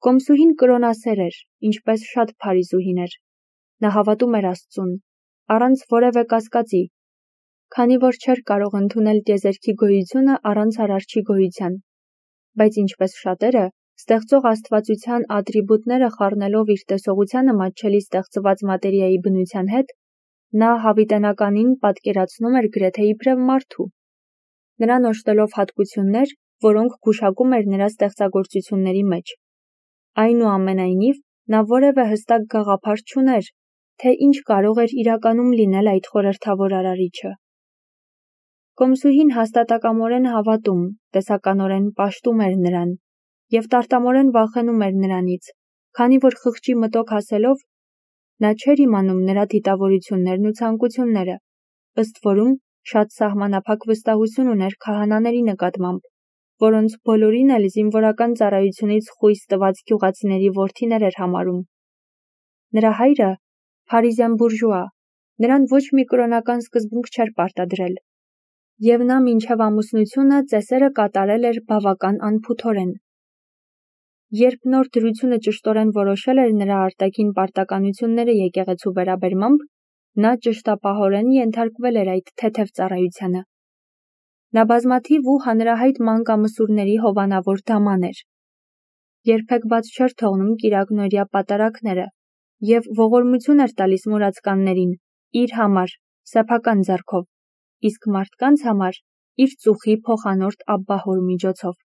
Կոմսուհին կրոնասեր էր, ինչպես շատ փարիզուհին էր։ Նա հավատում էր Աստծուն, առանց որևէ կասկածի, քանի որ չէր կարող ընդունել տիեզերքի գոյությունը առանց արարչի գոյության։ Բայց ինչպես շատերը, ստեղծող աստվածության ատրիբուտները խառնելով իր տեսողությանը մատչելի ստեղծված մատերիայի բնության հետ, նա հավիտենականին պատկերացնում էր գրեթե իբրև մարդու։ Նրան օժտելով հատկություններ, որոնք գուշակում էր նրա ստեղծագործությունների մեջ։ Այնուամենայնիվ, նա որևէ հստակ գաղափար չուներ, թե ինչ կարող էր իրականում լինել այդ խորհրդավոր արարիչը։ Կոմսուհին հաստատակամորեն հավատում, տեսականորեն պաշտում էր նրան և տարտամորեն վախենում էր նրանից, քանի որ խղճի մտոք հասելով, նա չէր իմանում նրա դիտավորություններն ու ցանկությունները, ըստ որում շատ սահմանափակ վստահություն ուներ քահանաների նկատմամբ, որոնց բոլորին էլ զինվորական ծառայությունից խույս տված գյուղացիների որդիներ էր համարում։ Նրա հայրը, փարիզյան բուրժուա, նրան ոչ մի կրոնական սկզբունք չէր պարտադրել, և նա մինչև ամուսնությունը ծեսերը կատարել էր բավական անփութորեն։ Երբ նոր դրությունը ճշտորեն որոշել էր նրա արտաքին պարտականությունները եկեղեցու վերաբերմամբ, նա ճշտապահորեն ենթարկվել էր այդ թեթև ծառայությանը։ Նա բազմաթիվ ու հանրահայտ մանկամսուրների հովանավոր դաման էր։ Երբեք բաց չէր թողնում կիրակնօրյա պատարագները և ողորմություն էր տալիս մուրացկաններին իր համար, սեփական ձեռքով, իսկ մարդկանց համար իր ծուխի փոխանորդ Աբբահոր միջոցով։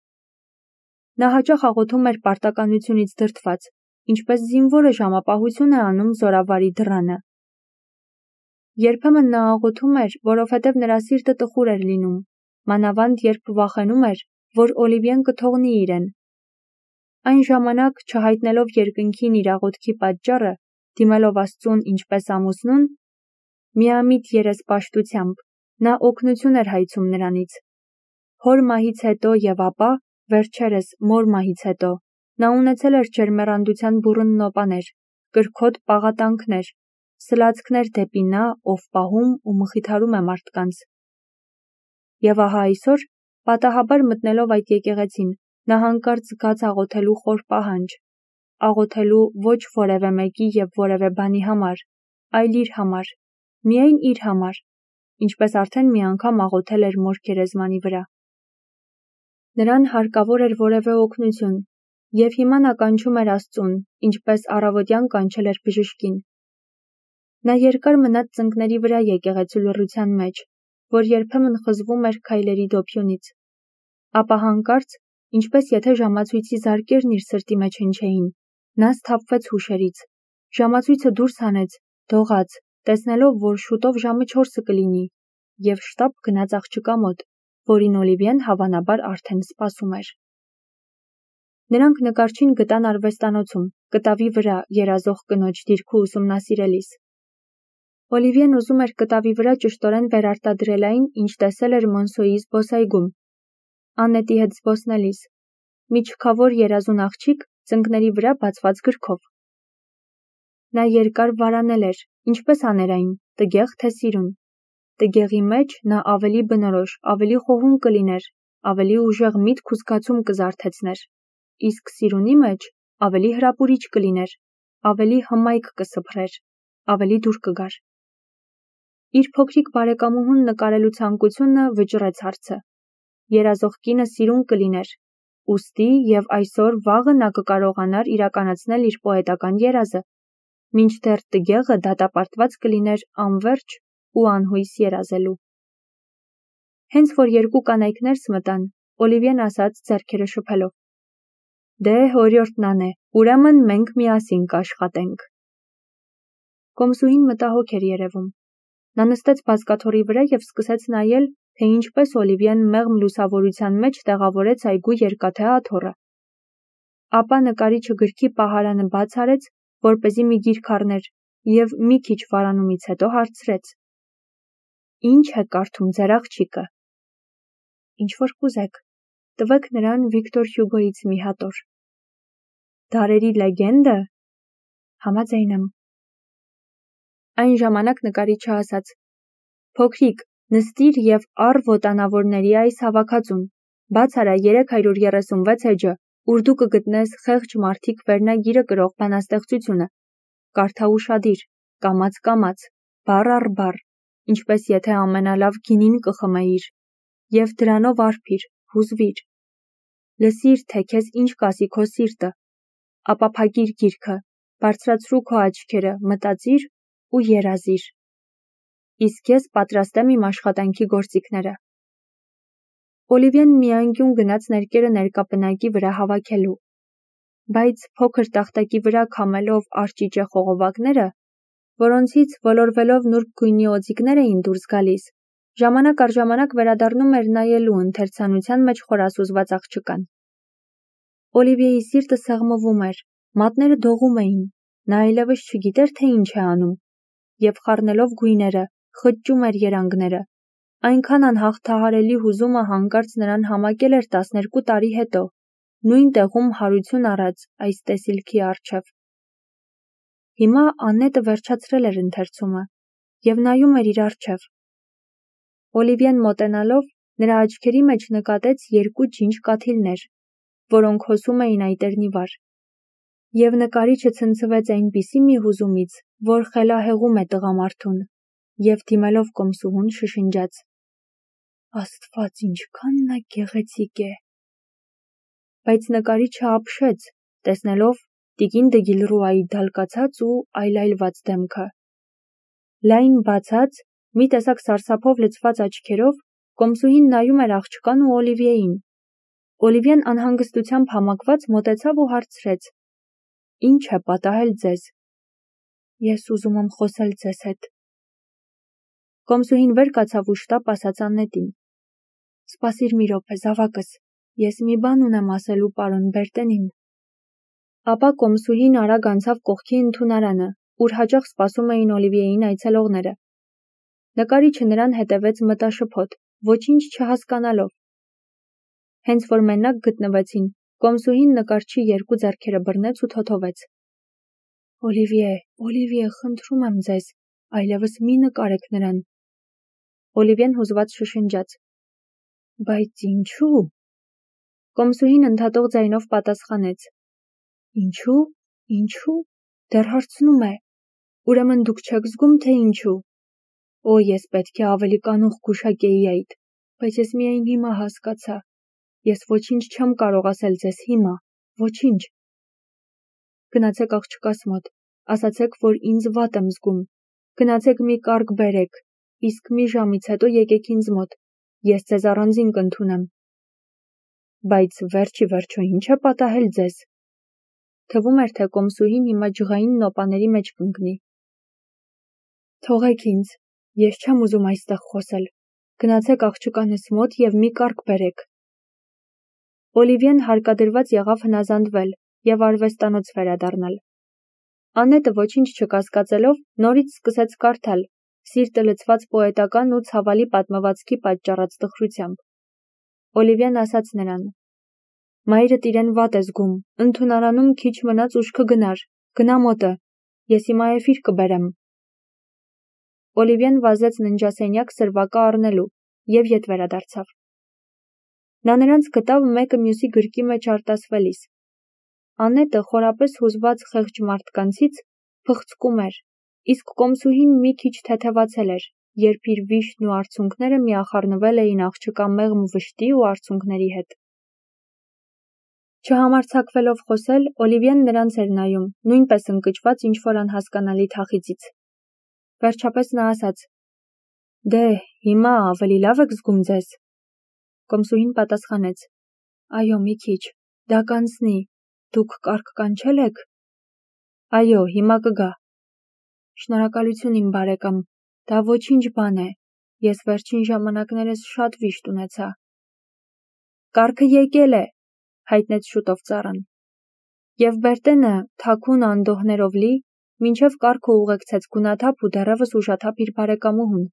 Նա հաճախ աղոթում էր պարտականությունից դրդված, ինչպես զինվորը ժամապահություն է անում զորավարի դռանը։ Երբեմն նա աղոթում էր, որովհետև նրա սիրտը տխուր էր լինում, մանավանդ երբ վախենում էր, որ Օլիվիեն կթողնի իրեն։ Այն ժամանակ, չհայտնելով երկնքին իր աղոթքի պատճառը, դիմելով Աստծուն ինչպես ամուսնուն, միամիտ երեսպաշտությամբ, նա օգնություն էր հայցում նրանից։ Հոր մահից հետո և ապա, վերջերս մոր մահից հետո, նա ունեցել էր ջերմեռանդության բուռն նոպաներ, կրքոտ պաղատանքներ, սլացքներ դեպի նա, ով պահում ու մխիթարում է մարդկանց։ Եվ ահա այսօր, պատահաբար մտնելով այդ եկեղեցին, նա հանկարծ զգաց աղոթելու խոր պահանջ, աղոթելու ոչ որևէ մեկի և որևէ բանի համար, այլ իր համար, միայն իր համար, ինչպես արդեն մի անգամ աղոթել էր մոր գերեզմանի վրա։ Նրան հարկավոր էր որևէ օգնություն, և հիմա նա կանչում էր Աստծուն, ինչպես առավոտյան կանչել էր բժշկին։ Նա երկար մնաց ծնկների վրա եկեղեցու լռության մեջ, որ երբեմն խզվում էր քայլերի դոփյունից։ Ապա հանկարծ, ինչպես եթե ժամացույցի զարկերն իր սրտի մեջ հնչեին, նա սթափվեց հուշերից, ժամացույցը դուրս հանեց, դողաց, տեսնելով, որ շուտով ժամը 4 կլինի, և շտապ գնաց աղջկա մոտ, որին Օլիվիեն հավանաբար արդեն սպասում էր։ Նրանք նկարչին գտան արվեստանոցում, կտավի վրա երազող կնոջ դիրքը ուսումնասիրելիս։ Օլիվիեն ուզում էր կտավի վրա ճշտորեն վերարտադրել այն, ինչ տեսել էր Մոնսոյի զբոսայգում, Աննետի հետ զբոսնելիս, մի չքավոր երազուն աղջիկ ծնկների վրա բացված գրքով։ Նա երկար վարանել էր, ինչպես աներ այն, տգեղ թե սիրուն։ Տգեղի մեջ նա ավելի բնորոշ, ավելի խոհուն կլիներ, ավելի ուժեղ միտք ու զգացում կզարթեցներ, իսկ սիրունի մեջ ավելի հրապուրիչ կլիներ, ավելի հմայք կսփռեր, ավելի դուր կգար։ Իր փոքրիկ բարեկամուհուն նկարելու ցանկությունը վճռեց հարցը։ Երազող կինը սիրուն կլիներ, ուստի և այսօր վաղը նա կկարողանար իրականացնել իր պոետական երազը, մինչդեռ տգեղը դատապարտված կլիներ անվերջ ու անհույս երազելու։ Հենց որ երկու կանայք ներս մտան, Օլիվիեն ասաց ձեռքերը շփելով. «Դե օրիորդն անե, ուրեմն մենք միասին կաշխատենք»։ Կոմսուհին մտահոգ էր երևում։ Նա նստեց բազկաթոռի վրա և սկսեց նայել, թե ինչպես Օլիվիեն մեղմ լուսավորության մեջ տեղավորեց այգու երկաթե աթոռը։ Ապա նկարիչը գրքի պահարանը բաց արեց, որպեսզի մի գիրք առներ, և մի քիչ վարանումից հետո հարցրեց. «Ինչ է կարդում ձեր աղջիկը»։ «Ինչ-որ կուզեք, տվեք նրան Վիկտոր Հյուգոյից մի հատոր»։ «Դարերի լեգենդը»։ «Համաձայն եմ»։ Այն ժամանակ նկարիչը ասաց. «Փոքրիկ, նստիր և առ ոտանավորների այս հավաքածուն, բաց արա 336 էջը, ուր դու կգտնես խեղճ մարդիկ վերնագիրը կրող բանաստեղծությունը, կարդա ուշադիր, կամաց, բառ առ բառ, ինչպես եթե ամենալավ գինին կխմեիր, և դրանով արբիր, հուզվիր, լսիր, թե քեզ ինչ կասի քո սիրտը, ապա փակիր գիրքը, բարձրացրու քո աչքերը, մտածիր ու երազիր։ Իսկ ես պատրաստ եմ իմ աշխատանքի գործիքները։ Օլիվիեն մի անկյուն գնաց ներկերը ներկապնակի վրա հավաքելու, բայց փոքր տախտակի վրա քամելով արճիճե խողովակները, որոնցից ոլորվելով նուրբ գույնի օձիքներ էին դուրս գալիս, ժամանակ առ ժամանակ վերադառնում էր նայելու ընթերցանության մեջ խորասուզված աղջկան։ Օլիվիեի սիրտը սեղմվում էր, մատները դողում էին, նա այլևս չգիտեր, թե ինչ է անում, և խառնելով գույները, խճճում էր երանգները։ Այնքան անհաղթահարելի հուզումը հանկարծ նրան համակել էր 12 տարի հետո, նույն տեղում հարություն առած այս տեսիլքի առջև։ Հիմա Աննետը վերջացրել էր ընթերցումը և նայում էր իր առջև։ Օլիվիեն մոտենալով նրա աչքերի մեջ նկատեց 2 ջինջ կաթիլներ, որոնք հոսում էին այտերնի վար։ Եվ նկարիչը ցնցվեց այնպիսի մի հուզումից, որ խելահեղում է տղամարդուն, և դիմելով կոմսուհուն շշնջաց. «Աստված, ինչքան նա գեղեցիկ է»։ Բայց նկարիչը ապշեց, տեսնելով տիկին Դգիլռուայի դալկացած ու այլայլված դեմքը։ Լայն բացած, մի տեսակ սարսափով լցված աչքերով կոմսուհին նայում էր աղջկան ու Օլիվիեին։ Օլիվիեն անհանգստությամբ համակված մոտեցավ ու հարցրեց. «Ինչ է պատահել ձեզ»։ «Ես ուզում եմ խոսել ձեզ հետ»։ Կոմսուհին վեր կացավ ու շտապ ասաց Աննետին. «Սպասիր մի րոպե, զավակս, ես մի բան ունեմ ասելու պարոն Բերտենին»։ Ապա կոմսուհին արագ անցավ կողքի ընդունարանը, ուր հաճախ սպասում էին Օլիվիեին այցելողները։ Նկարիչը նրան հետևեց մտաշփոթ, ոչինչ չհասկանալով։ Հենց որ մենակ գտնվեցին, կոմսուհին նկարչի 2 ձեռքերը բռնեց ու թոթովեց. Օլիվիե, խնդրում եմ ձեզ, այլևս մի նկարեք նրան։ Օլիվիեն հուզված շշնջաց. «Բայց ինչու»։ Կոմսուհին ընդհատող ձայնով պատասխանեց. Ինչու, դեռ հարցնում է, ուրեմն դուք չեք զգում, թե ինչու։ Օ, ես պետք է ավելի կանուխ գուշակեի այդ, բայց ես միայն հիմա հասկացա։ Ես ոչինչ չեմ կարող ասել ձեզ հիմա, ոչինչ։ Գնացեք աղջկաս մոտ, ասացեք, որ ինձ վատ եմ զգում, գնացեք մի կարգ բերեք, իսկ մի ժամից հետո եկեք ինձ մոտ, ես ձեզ առանձին կընդունեմ։ Բայց վերջի վերջո ինչ է պատահել ձեզ։ Թվում էր, թե կոմսուհին հիմա ջղային նոպաների մեջ կընկնի։ Թողեք ինձ, ես չեմ ուզում այստեղ խոսել, գնացեք աղջկանս մոտ և մի կարգ բերեք։ Օլիվիեն հարկադրված եղավ հնազանդվել և արվեստանոց վերադառնալ։ Աննետը ոչինչ չկասկածելով նորից սկսեց կարդալ, սիրտը լցված պոետական ու ցավալի պատմվածքի պատճառած տխրությամբ։ Օլիվիեն ասաց նրան. «Մայրդ իրեն վատ է զգում, ընդունարանում քիչ մնաց ուշ կգնար, գնա մոտը, ես հիմա էֆիր կբերեմ»։ Օլիվիեն վազեց ննջասենյակ սրվակը առնելու և ետ վերադարձավ։ Նա նրանց գտավ մեկը մյուսի գրկի մեջ արտասվելիս։ Աննետը խորապես հուզված խեղճ մարդկանցից փխցկում էր, իսկ կոմսուհին մի քիչ թեթևացել էր, երբ իր վիշտն ու արցունքները միախառնվել էին աղջկա մեղմ վշտի ու արցունքների հետ։ Չհամարձակվելով խոսել, Օլիվիեն նրանց էր նայում, նույնպես ընկճված ինչ-որ անհասկանալի թախիծից։ Վերջապես նա ասաց. «Դե, հիմա ավելի լավ եք զգում ձեզ»։ Կոմսուհին պատասխանեց. «Այո, մի քիչ, դա կանցնի, դուք կարգ կանչել եք»։ «Այո, հիմա կգա»։ «Շնորհակալություն իմ բարեկամ, դա ոչինչ բան է, ես վերջին ժամանակներս շատ վիշտ ունեցա»։ «Կարգը եկել է», հայտնեց շուտով ծառան։ Եվ Բերտենը, թաքուն անդոհներով լի, մինչև կարգը ուղեկցեց գունաթափ ու դեռևս ուժաթափ իր բարեկամուհուն,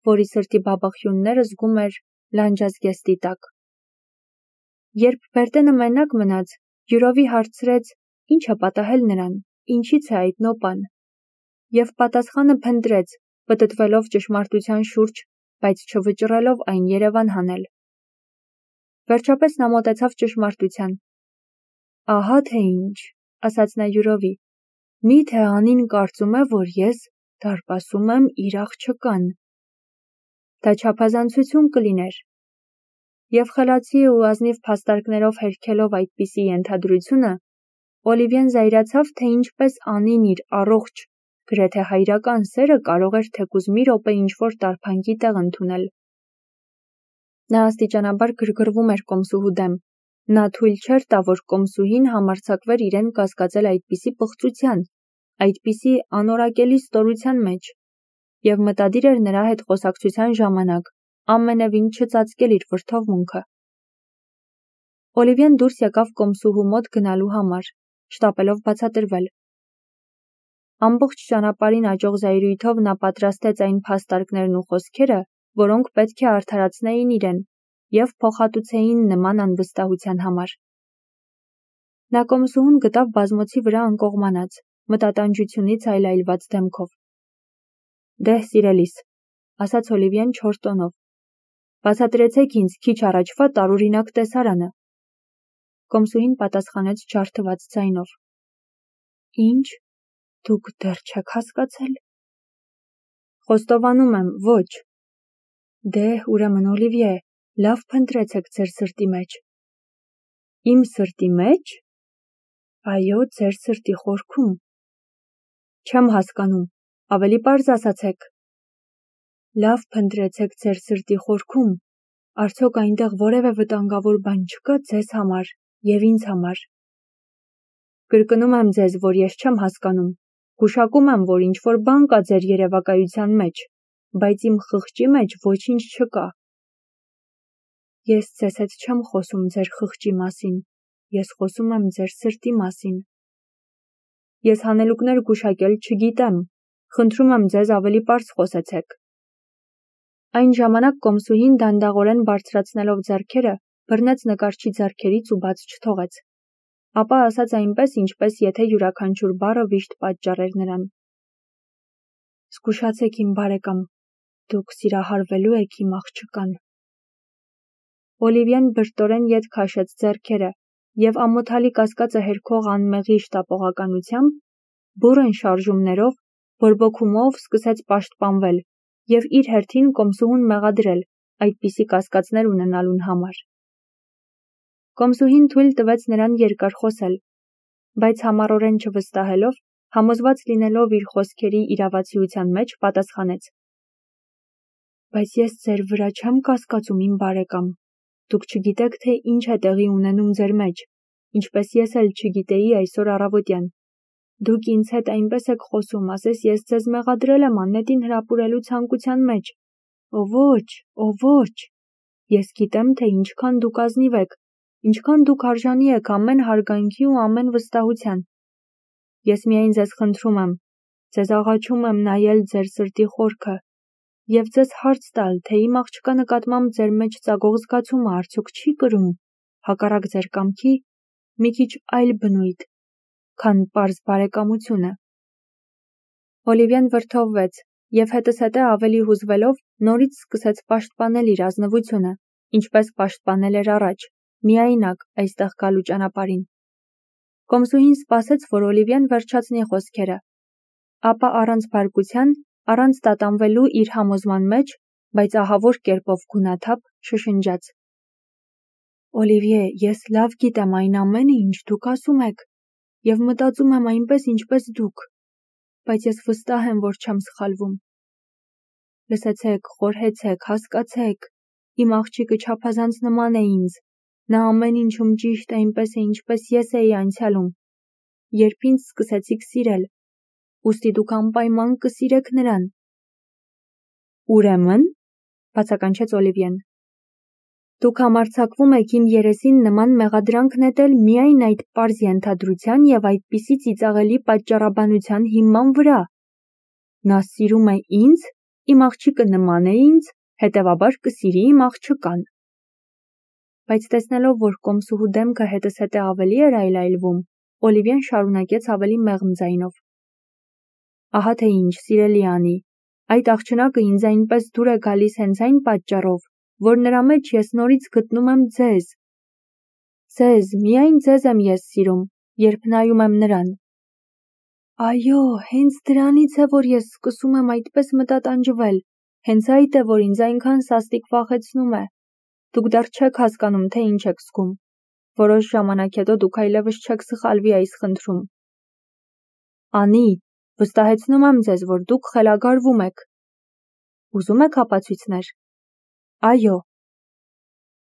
որի սրտի բաբախյունները զգում էր լանջազգեստի տակ։ Երբ Բերտենը մենակ մնաց, յուրովի հարցրեց, ինչ է պատահել նրան, ինչից է այդ նոպան։ Եվ պատասխանը փնտրեց, պտտվելով ճշմարտության շուրջ, բայց չվճռելով այն երևան հանել։ Վերջապես նա մոտեցավ ճշմարտության։ Ահա թե ինչ, ասաց նա յուրովի, միթե անին կարծում է, որ ես դարպասում եմ իր աղջկան։ Դա չափազանցություն կլիներ։ Եվ խելացի ու ազնիվ փաստարկներով հերքելով այդպիսի ենթադրությունը, Օլիվիեն զայրացավ, թե ինչպես անին իր առողջ, գրեթե հայրական սերը կարող էր թեկուզ մի րոպե ինչ-որ տարփանքի տեղ ընդունել։ Նա աստիճանաբար գրգռվում էր կոմսուհու դեմ։ Նա թույլ չէր տա, որ կոմսուհին համարձակվեր իրեն կասկածել այդպիսի պղծության, այդպիսի անորակելի ստորության մեջ, և մտադիր էր նրա հետ խոսակցության ժամանակ ամենևին չծածկել իր վրդովմունքը։ Օլիվիեն դուրս եկավ կոմսուհու մոտ գնալու համար, շտապելով բացատրվել։ Ամբողջ ճանապարհին աճող զայրույթով նա պատրաստեց այն փաստարկներն ու խոսքերը, որոնք պետք է արդարացնեին իրեն և փոխհատուցեին նման անվստահության համար։ Նա կոմսուհուն գտավ բազմոցի վրա անկողմանած, մտատանջությունից այլայլված դեմքով։ Դեհ, սիրելիս, ասաց Օլիվիեն չոր տոնով, բացատրեցեք ինձ քիչ առաջվա տարօրինակ տեսարանը։ Կոմսուհին պատասխանեց ջարդված ձայնով. Ինչ, դուք դեռ չեք հասկացել։ Խոստովանում եմ, ոչ։ Դեհ, ուրեմն Օլիվիե, լավ փնտրեցեք ձեր սրտի մեջ։ Իմ սրտի մեջ։ Այո, ձեր սրտի խորքում։ Չեմ հասկանում, ավելի պարզ ասացեք։ Լավ փնտրեցեք ձեր սրտի խորքում, արդյոք այնտեղ որևէ վտանգավոր բան չկա ձեզ համար և ինձ համար։ Կրկնում եմ ձեզ, որ ես չեմ հասկանում, գուշակում եմ, որ ինչ-որ բան կա ձեր երևակայության մեջ, բայց իմ խղճի մեջ ոչինչ չկա։ Ես ձեզ հետ չեմ խոսում ձեր խղճի մասին, ես խոսում եմ ձեր սրտի մասին։ Ես հանելուկներ գուշակել չգիտեմ, խնդրում եմ ձեզ ավելի պարզ խոսեցեք։ Այն ժամանակ կոմսուհին դանդաղորեն բարձրացնելով ձեռքերը, բռնեց նկարչի ձեռքերից ու բաց չթողեց։ Ապա ասաց այնպես, ինչպես եթե յուրաքանչյուր բառը վիշտ պատճառեր նրան. Զգուշացեք իմ բարեկամ, դուք սիրահարվելու եք իմ աղջկան։ Օլիվիեն բրտորեն ետ քաշեց ձեռքերը և ամոթալի կասկածը հերքող անմեղի շտապողականությամբ, բուռն շարժումներով, բորբոքումով սկսեց պաշտպանվել և իր հերթին կոմսուհուն մեղադրել այդպիսի կասկածներ ունենալուն համար։ Կոմսուհին թույլ տվեց նրան երկար խոսել, բայց համառորեն չվստահելով, համոզված լինելով իր խոսքերի իրավացիության մեջ, պատասխանեց. Բայց ես ձեր վրա չեմ կասկածում, իմ բարեկամ, դուք չգիտեք, թե ինչ է տեղի ունենում ձեր մեջ, ինչպես ես էլ չգիտեի այսօր առավոտյան։ Դուք ինձ հետ այնպես եք խոսում, ասես ես ձեզ մեղադրել եմ աննետին հրապուրելու ցանկության մեջ։ Ո ոչ, ես գիտեմ, թե ինչքան դուք ազնիվ եք, ինչքան դուք արժանի եք ամեն հարգանքի ու ամեն վստահության։ Ես միայն ձեզ խնդրում եմ, ձեզ աղաչում եմ նայել ձեր սրտի խորքը և ձեզ հարց տալ, թե իմ աղջկա նկատմամբ ձեր մեջ ծագող զգացումը արդյոք չի կրում, հակառակ ձեր կամքի, մի քիչ այլ բնույթ, քան պարզ բարեկամությունը։ Օլիվիեն վրդովվեց և հետզհետե ավելի հուզվելով նորից սկսեց պաշտպանել իր ազնվությունը, ինչպես պաշտպանել էր առաջ, միայնակ այստեղ գալու ճանապարհին։ Կոմսուհին սպասեց, որ Օլիվիեն վերջացնի խոսքերը, ապա առանց բարկության, առանց տատանվելու իր համոզման մեջ, բայց ահավոր կերպով գունաթափ շշնջաց. Օլիվիե, ես լավ գիտեմ այն ամենը, ինչ դուք ասում եք, և մտածում եմ այնպես, ինչպես դուք, բայց ես վստահ եմ, որ չեմ սխալվում։ Լսեցեք, խորհեցեք, հասկացեք, իմ աղջիկը չափազանց նման է ինձ, նա ամեն ինչում ճիշտ է, այնպես է, ինչպես ես էի անցյալում, երբ ինձ սկսեցիք սիրել, ուստի դուք անպայման կսիրեք նրան։ Ուրեմն, բացականչեց Օլիվիեն, դուք համարձակվում եք իմ երեսին նման մեղադրանք նետել միայն այդ պարզ ենթադրության և այդպիսի ծիծաղելի պատճառաբանության հիման վրա։ Նա սիրում է ինձ, իմ աղջիկը նման է ինձ, հետևաբար կսիրի իմ աղջկան։ Բայց տեսնելով, որ կոմսուհու դեմքը հետզհետե ավելի էր այլայլվում, Օլիվիեն շարունակեց ավելի մեղմ ձայնով. Ահա թե ինչ, սիրելի Անի, այդ աղջնակը ինձ այնպես դուր է գալիս հենց այն պատճառով, որ նրա մեջ ես նորից գտնում եմ ձեզ։ Ձեզ, միայն ձեզ եմ ես սիրում, երբ նայում եմ նրան։ Այո, հենց դրանից է, որ ես սկսում եմ այդպես մտատանջվել, հենց այդ է, որ ինձ այնքան սաստիկ վախեցնում է։ Դուք դեռ չեք հասկանում, թե ինչ եք զգում։ Որոշ ժամանակ հետո դուք այլևս չեք սխալվի այս խնդրում։ Անի, վստահեցնում եմ ձեզ, որ դուք խելագարվում եք։ Ուզում եք ապացույցներ։ Այո։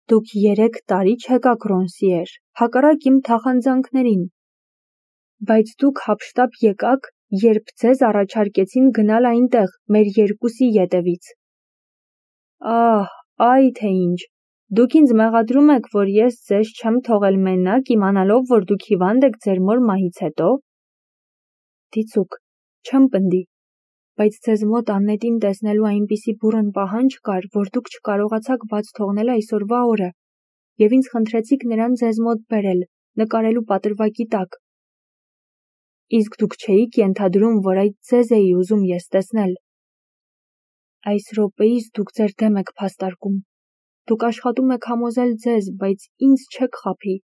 Դուք 3 տարի չեկաք Ռոնսիեր, հակառակ իմ թախանձանքներին։ Բայց դուք հափշտապ եկաք, երբ ձեզ առաջարկեցին գնալ այնտեղ, մեր երկուսի ետևից։ Ահ, այ թե ինչ։ Դուք ինձ մեղադրում եք, որ ես ձեզ չեմ թողել մենակ, իմանալով, որ դուք հիվանդ եք ձեր մոր մահից հետո։ Դիցուք, չեմ պնդի, բայց ձեզ մոտ Աննետին տեսնելու այնպիսի բուռն պահանջ կար, որ դուք չկարողացաք բաց թողնել այսօրվա օրը, և ինձ խնդրեցիք նրան ձեզ մոտ բերել, նկարելու պատրվակի տակ։ Իսկ դուք չէիք ենթադրում, որ այդ ձեզ էի ուզում ես տեսնել։ Այս րոպեիս դուք ձեր դեմ եք փաստարկում։ Դուք աշխատում եք համոզել ձեզ, բայց ինձ չեք խաբի։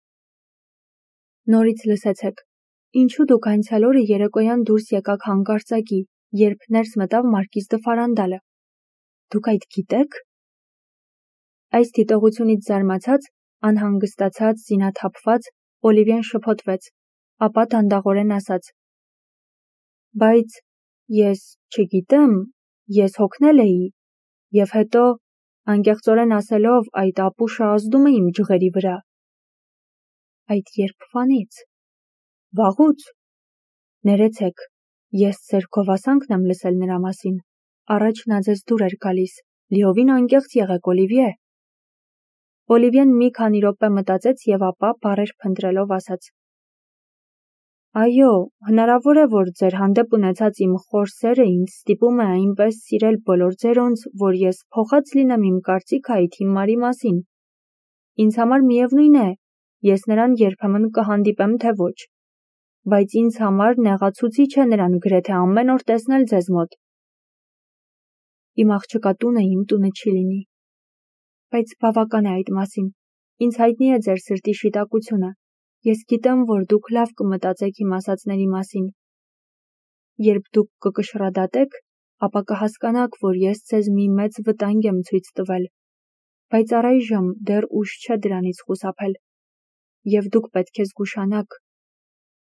Նորից լսեցեք, ինչու դուք անցյալ օրը երեկոյան դուրս եկաք հանկարծակի, երբ ներս մտավ Մարկիզ դը Ֆարանդալը։ Դուք այդ գիտեք։ Այս դիտողությունից զարմացած, անհանգստացած, զինաթափված, Օլիվիան շփոթվեց, ապա դանդաղորեն ասաց. Բայց ես չգիտեմ, ես հոգնել էի, և հետո, անկեղծորեն ասելով, այդ ապուշը ազդում է իմ ջղերի վրա։ Այդ երբվանից։ Վաղուց։ Ներեցեք, ես ձեր գովասանքն եմ լսել նրա մասին, առաջ նա ձեզ դուր էր գալիս, լիովին անկեղծ եղեք, Օլիվիե։ Օլիվիան մի քանի րոպե մտածեց և ապա բառեր փնտրելով ասաց. Այո, հնարավոր է, որ ձեր հանդեպ ունեցած իմ խոր սերը ինձ ստիպում է այնպես սիրել բոլոր ձերոնց, որ ես փոխած լինեմ իմ կարծիքը այդ հիմարի մասին։ Ինձ համար միևնույն է, ես նրան երբեմն կհանդիպեմ, թե ոչ, բայց ինձ համար նեղացուցիչ է նրան գրեթե ամեն օր տեսնել ձեզ մոտ։ Իմ աղջկա տունը իմ տունը չի լինի։ Բայց բավական է այդ մասին, ինձ հայտնի է ձեր սրտի շիտակությունը, ես գիտեմ, որ դուք լավ կմտածեք իմ ասածների մասին։ Երբ դուք կկշռադատեք, ապա կհասկանաք, որ ես ձեզ մի մեծ վտանգ եմ ցույց տվել, բայց առայժմ դեռ ուշ չէ դրանից խուսափել, և դուք պետք է զգուշանաք։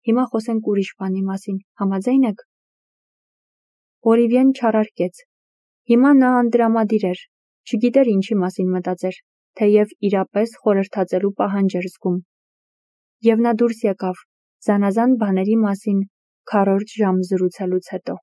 Հիմա խոսենք ուրիշ բանի մասին, համաձայն եք։ Օլիվիան չարարկեց։ Հիմա նա անտրամադիր էր, չգիտեր ինչի մասին մտածեր, թեև իրապես խորհրդածելու պահանջ էր զգում։ Եվ նա դուրս եկավ, զանազան բաների մասին քառորդ ժամ զրուցելուց հետո։